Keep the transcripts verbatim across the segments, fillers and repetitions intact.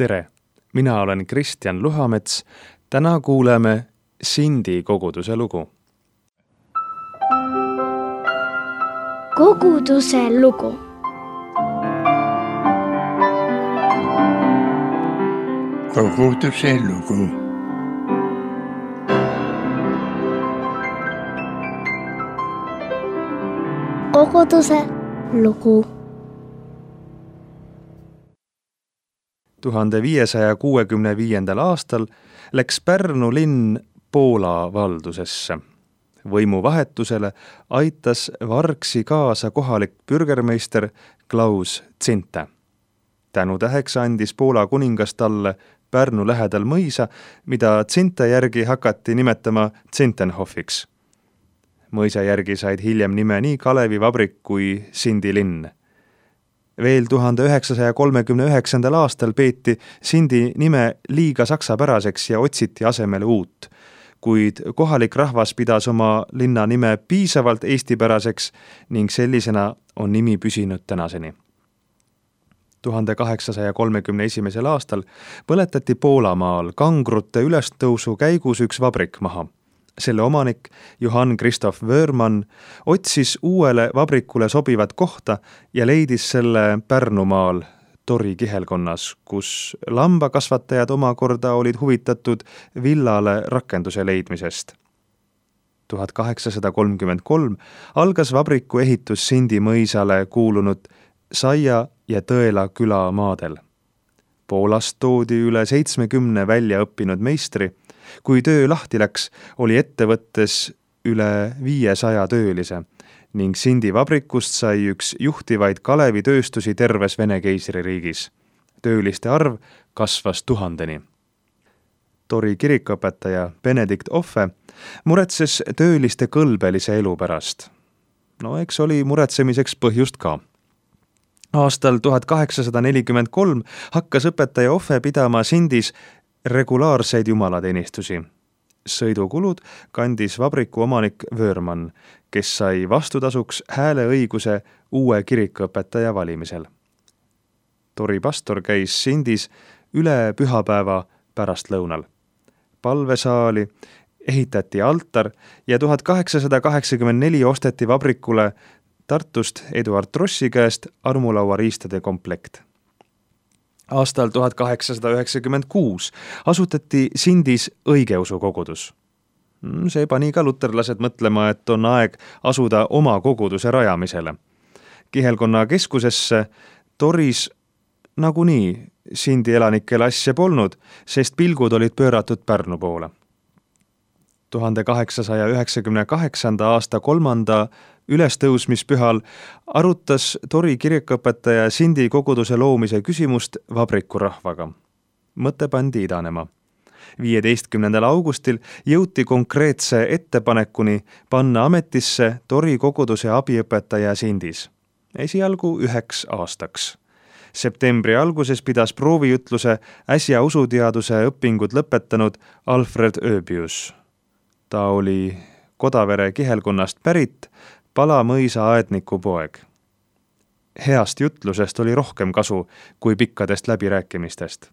Tere! Mina olen Kristjan Luhamets. Täna kuuleme Sindi koguduse lugu. Koguduse lugu. Koguduse lugu. Koguduse lugu. tuhande viiesaja kuuekümne viiendal aastal läks Pärnu linn Poola valdusesse. Võimuvahetusele aitas Vargsi kaasa kohalik pürgermeister Klaus Zinta. Tänutäheks andis Poola kuningas talle Pärnu lähedal mõisa, mida Zinta järgi hakati nimetama Zintenhofiks. Mõisa järgi said hiljem nime nii Kalevi vabrik kui Sindi linn. Veel tuhande üheksasaja kolmekümne üheksandal aastal peeti Sindi nime liiga saksapäraseks ja otsiti asemele uut, kuid kohalik rahvas pidas oma linna nime piisavalt eestipäraseks ning sellisena on nimi püsinud tänaseni. tuhande kaheksasaja kolmekümne esimesel aastal põletati Poolamaal kangrute ülestõusu käigus üks vabrik maha. Selle omanik Johann Christoph Wörmann otsis uuele vabrikule sobivat kohta ja leidis selle Pärnumaal Tori kihelkonnas, kus lambakasvatajad omakorda olid huvitatud villale rakenduse leidmisest. tuhat kaheksasada kolmkümmend kolm algas vabriku ehitus Sindi mõisale kuulunud Saia ja Tõela küla maadel. Poolast toodi üle seitsmekümne välja õppinud meistri. Kui töö lahti läks, oli ettevõttes üle viiesaja töölise ning Sindi vabrikust sai üks juhtivaid Kalevi tööstusi terves Vene keisririigis. Tööliste arv kasvas tuhandeni. Tori kirikuõpetaja Benedikt Ohve muretses tööliste kõlbelise elu pärast. No eks oli muretsemiseks põhjust ka. Aastal tuhat kaheksasada nelikümmend kolm hakkas õpetaja Ohve pidama Sindis regulaarseid jumalateenistusi. Sõidukulud kandis vabriku omanik Wörmann, kes sai vastutasuks hääleõiguse uue kirikuõpetaja valimisel. Tori pastor käis Sindis üle pühapäeva pärastlõunal. Palvesaali ehitati altar ja tuhat kaheksasada kaheksakümmend neli osteti vabrikule Tartust Eduard Trossi käest armulauariistade komplekt. Aastal tuhat kaheksasada üheksakümmend kuus asutati Sindis õigeusu kogudus. See pani ka luterlased mõtlema, et on aeg asuda oma koguduse rajamisele. Kihelkonna keskusesse Toris nagunii Sindi elanikele asja polnud, sest pilgud olid pööratud Pärnu poole. tuhande kaheksasaja üheksakümne kaheksanda aasta kolmanda ülestõusmispühal arutas Tori kirikuõpetaja Sindi koguduse loomise küsimust vabriku rahvaga. Mõte pandi idanema. viieteistkümnendal augustil jõuti konkreetse ettepanekuni panna ametisse Tori koguduse abiõpetaja Sindis. Esialgu üheks aastaks. Septembri alguses pidas proovijutluse äsja usuteaduse õpingud lõpetanud Alfred Öbius. Ta oli Kodavere kihelkonnast pärit Palamõisa aedniku poeg. Heast jutlusest oli rohkem kasu kui pikkadest läbirääkimistest.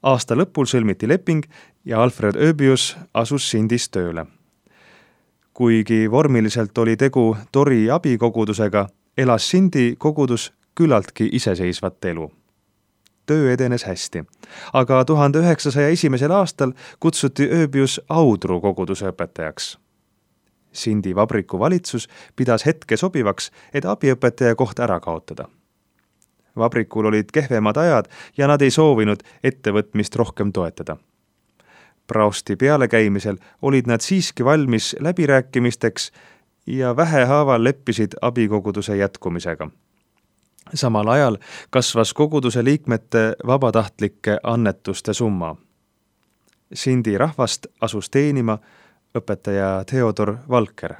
Aasta lõpul sõlmiti leping ja Alfred Öbius asus Sindis tööle. Kuigi vormiliselt oli tegu Tori abikogudusega, elas Sindi kogudus küllaltki iseseisvat elu. Töö edenes hästi, aga tuhande üheksasaja esimesel aastal kutsuti Öbius Audru koguduse õpetajaks. Sindi vabriku valitsus pidas hetke sobivaks, et abiõpetaja koht ära kaotada. Vabrikul olid kehvemad ajad ja nad ei soovinud ettevõtmist rohkem toetada. Praosti pealekäimisel olid nad siiski valmis läbirääkimisteks ja vähehaaval leppisid abikoguduse jätkumisega. Samal ajal kasvas koguduse liikmete vabatahtlike annetuste summa. Sindi rahvast asus teenima õpetaja Theodor Valker.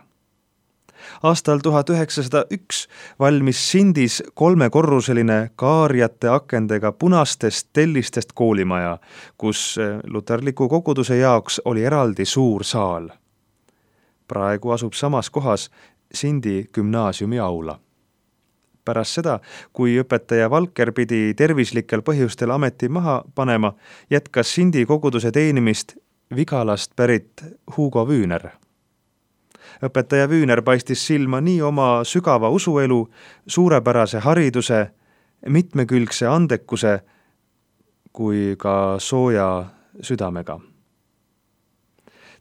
Aastal tuhat üheksasada üks valmis Sindis kolmekorruseline kaarjate akendega punastest tellistest koolimaja, kus luterliku koguduse jaoks oli eraldi suur saal. Praegu asub samas kohas Sindi gümnaasiumi aula. Pärast seda, kui õpetaja Valker pidi tervislikel põhjustel ameti maha panema, jätkas Sindi koguduse teenimist Vigalast pärit Hugo Wühner. Õpetaja Wühner paistis silma nii oma sügava usuelu, suurepärase hariduse, mitmekülgse andekuse kui ka sooja südamega.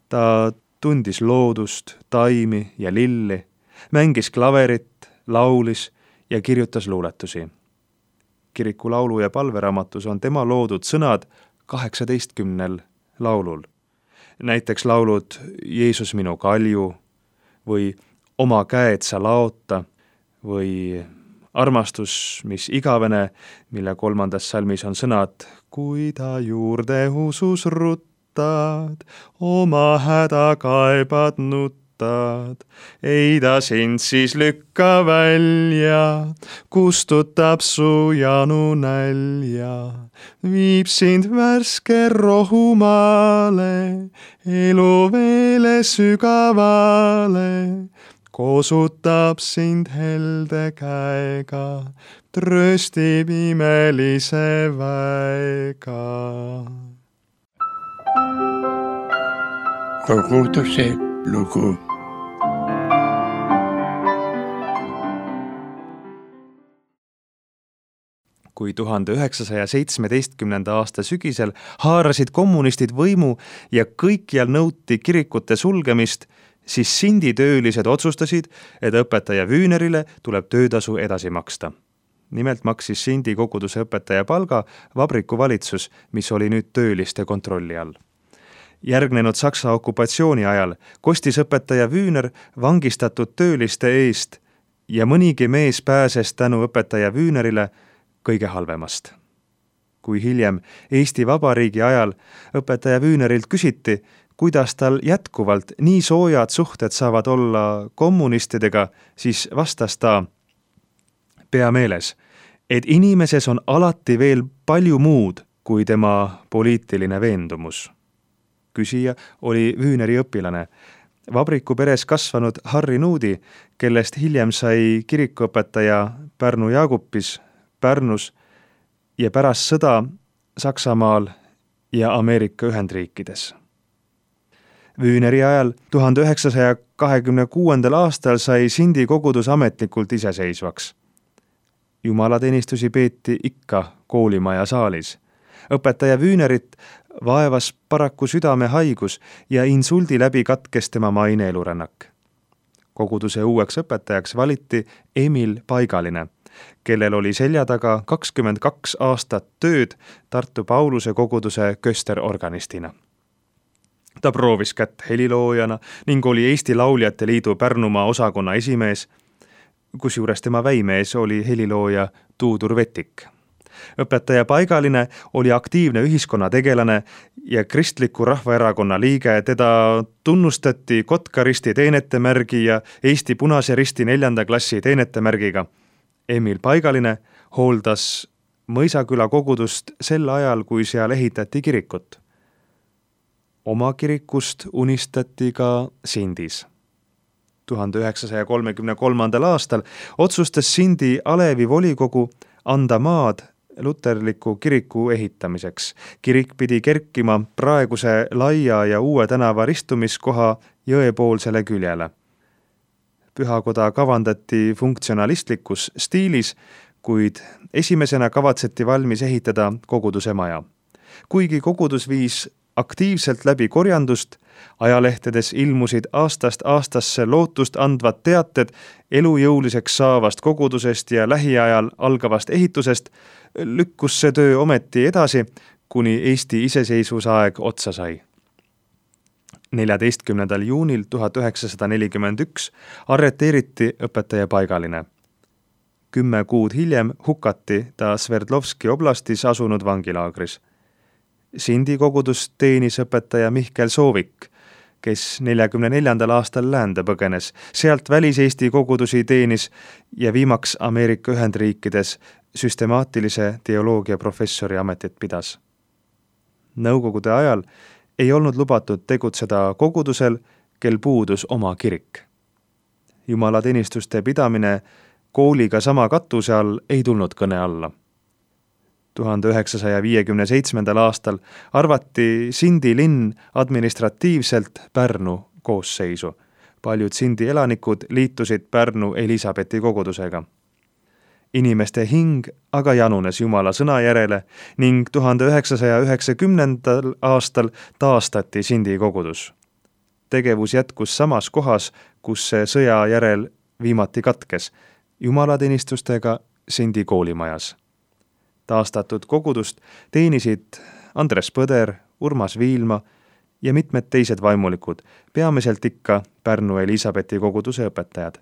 Ta tundis loodust, taimi ja lilli, mängis klaverit, laulis ja kirjutas luuletusi. Kiriku laulu- ja palveraamatus on tema loodud sõnad kaheksateistkümnel laulul. Näiteks laulud Jeesus minu kalju või Oma käed sa laota või Armastus, mis igavene, mille kolmandas salmis on sõnad Kui ta juurde usus ruttad, oma häda kaebad nuttad. Ei ta sind siis lükka välja, kustutab su janu nälja, viib sind värske rohumaale, eluveele sügavale, kosutab sind helde käega, tröstib imelise väega. Koguduse lugu. Kui tuhande üheksasaja seitsmeteistkümnenda aasta sügisel haarasid kommunistid võimu ja kõikjal nõuti kirikute sulgemist, siis Sindi töölised otsustasid, et õpetaja Wühnerile tuleb töötasu edasi maksta. Nimelt maksis Sindi koguduse õpetaja palga vabrikuvalitsus, mis oli nüüd tööliste kontrolli all. Järgnenud Saksa okupatsiooni ajal kostis õpetaja Wühner vangistatud tööliste eest ja mõnigi mees pääses tänu õpetaja Wühnerile kõige halvemast. Kui hiljem Eesti Vabariigi ajal õpetaja Wühnerilt küsiti, kuidas tal jätkuvalt nii soojad suhted saavad olla kommunistidega, siis vastas ta pea meeles, et inimeses on alati veel palju muud kui tema poliitiline veendumus. Küsija oli Wühneri õpilane, vabriku peres kasvanud Harri Nuudi, kellest hiljem sai kirikuõpetaja Pärnu Jaagupis, Pärnus ja pärast sõda Saksamaal ja Ameerika Ühendriikides. Wühneri ajal tuhande üheksasaja kahekümne kuuendal aastal sai Sindi kogudus ametlikult iseseisvaks. Jumalateenistusi peeti ikka koolimaja saalis. Õpetaja Wühnerit vaevas paraku südamehaigus ja insuldi läbi katkes tema maine elurännak. Koguduse uueks õpetajaks valiti Emil Paigaline, kellel oli selja taga kakskümmend kaks aastat tööd Tartu Pauluse koguduse kösterorganistina. Ta proovis kätt heliloojana ning oli Eesti Lauljate Liidu Pärnumaa osakonna esimees, kusjuures tema väimees oli helilooja Tuudur Vetik. Õpetaja Paigaline oli aktiivne ühiskonnategelane ja Kristliku Rahvaerakonna liige, teda tunnustati Kotka-Risti teenetemärgi ja Eesti Punase Risti neljanda klassi teenetemärgiga. Emil Paigaline hooldas Mõisaküla kogudust sel ajal, kui seal ehitati kirikut. Oma kirikust unistati ka Sindis. tuhande üheksasaja kolmekümne kolmandal aastal otsustas Sindi Alevi volikogu anda maad luterliku kiriku ehitamiseks. Kirik pidi kerkima praeguse laia ja uue tänava ristumiskoha jõepoolsele küljele. Pühakoda kavandati funktsionalistlikus stiilis, kuid esimesena kavatseti valmis ehitada koguduse maja. Kuigi kogudus viis aktiivselt läbi korjandust, ajalehtedes ilmusid aastast aastasse lootust andvad teated elujõuliseks saavast kogudusest ja lähiajal algavast ehitusest, lükkus see töö ometi edasi, kuni Eesti iseseisvusaeg otsa sai. neljateistkümnendal juunil tuhat üheksasada nelikümmend üks arreteeriti õpetaja Paigaline. Kümme kuud hiljem hukati ta Sverdlovski oblastis asunud vangilaagris. Sindi kogudus teenis õpetaja Mihkel Soovik, kes neljakümne neljandal aastal läände põgenes, sealt välis-Eesti kogudusi teenis ja viimaks Ameerika Ühendriikides süstemaatilise teoloogia professori ametit pidas. Nõukogude ajal ei olnud lubatud tegutseda kogudusel, kel puudus oma kirik. Jumalateenistuste pidamine kooliga sama katuse all ei tulnud kõne alla. tuhande üheksasaja viiekümne seitsmendal aastal arvati Sindi linn administratiivselt Pärnu koosseisu. Paljud Sindi elanikud liitusid Pärnu Elisabethi kogudusega. Inimeste hing aga janunes Jumala sõna järele ning tuhande üheksasaja üheksakümnendal aastal taastati Sindi kogudus. Tegevus jätkus samas kohas, kus see sõja järel viimati katkes, jumalateenistustega Sindi koolimajas. Taastatud kogudust teenisid Andres Põder, Urmas Viilma ja mitmed teised vaimulikud, peamiselt ikka Pärnu Elisabethi koguduse õpetajad.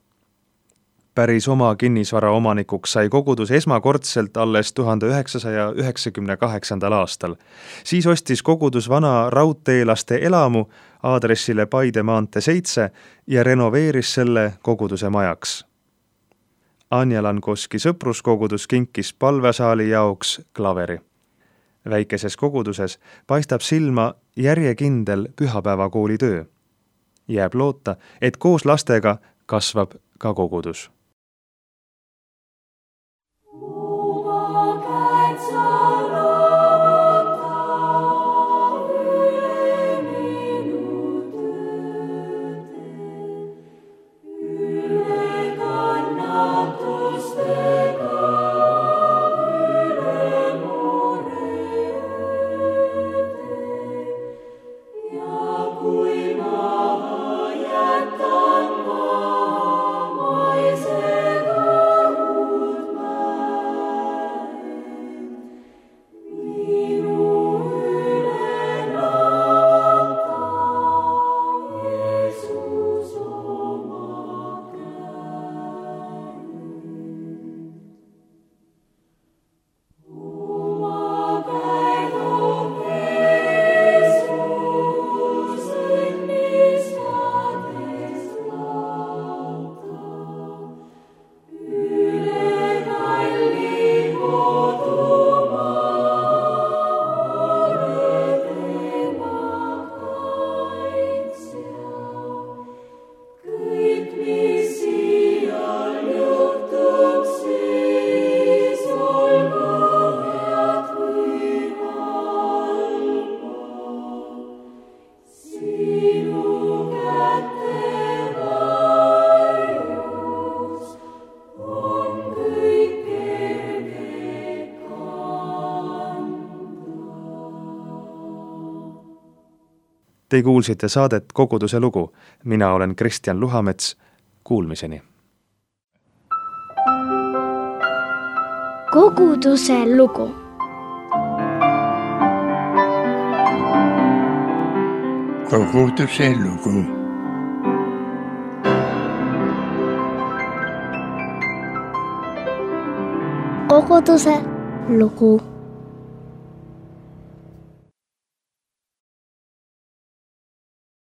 Päris oma kinnisvara omanikuks sai kogudus esmakordselt alles tuhande üheksasaja üheksakümne kaheksandal aastal. Siis ostis kogudus vana raudteelaste elamu aadressile Paide maantee seitse ja renoveeris selle koguduse majaks. Anja Lankoski sõpruskogudus kinkis palvesaali jaoks klaveri. Väikeses koguduses paistab silma järjekindel pühapäevakooli töö. Jääb loota, et koos lastega kasvab ka kogudus. Te kuulsite saadet Koguduse lugu. Mina olen Kristjan Luhamets. Kuulmiseni. Koguduse lugu. Koguduse lugu. Koguduse lugu.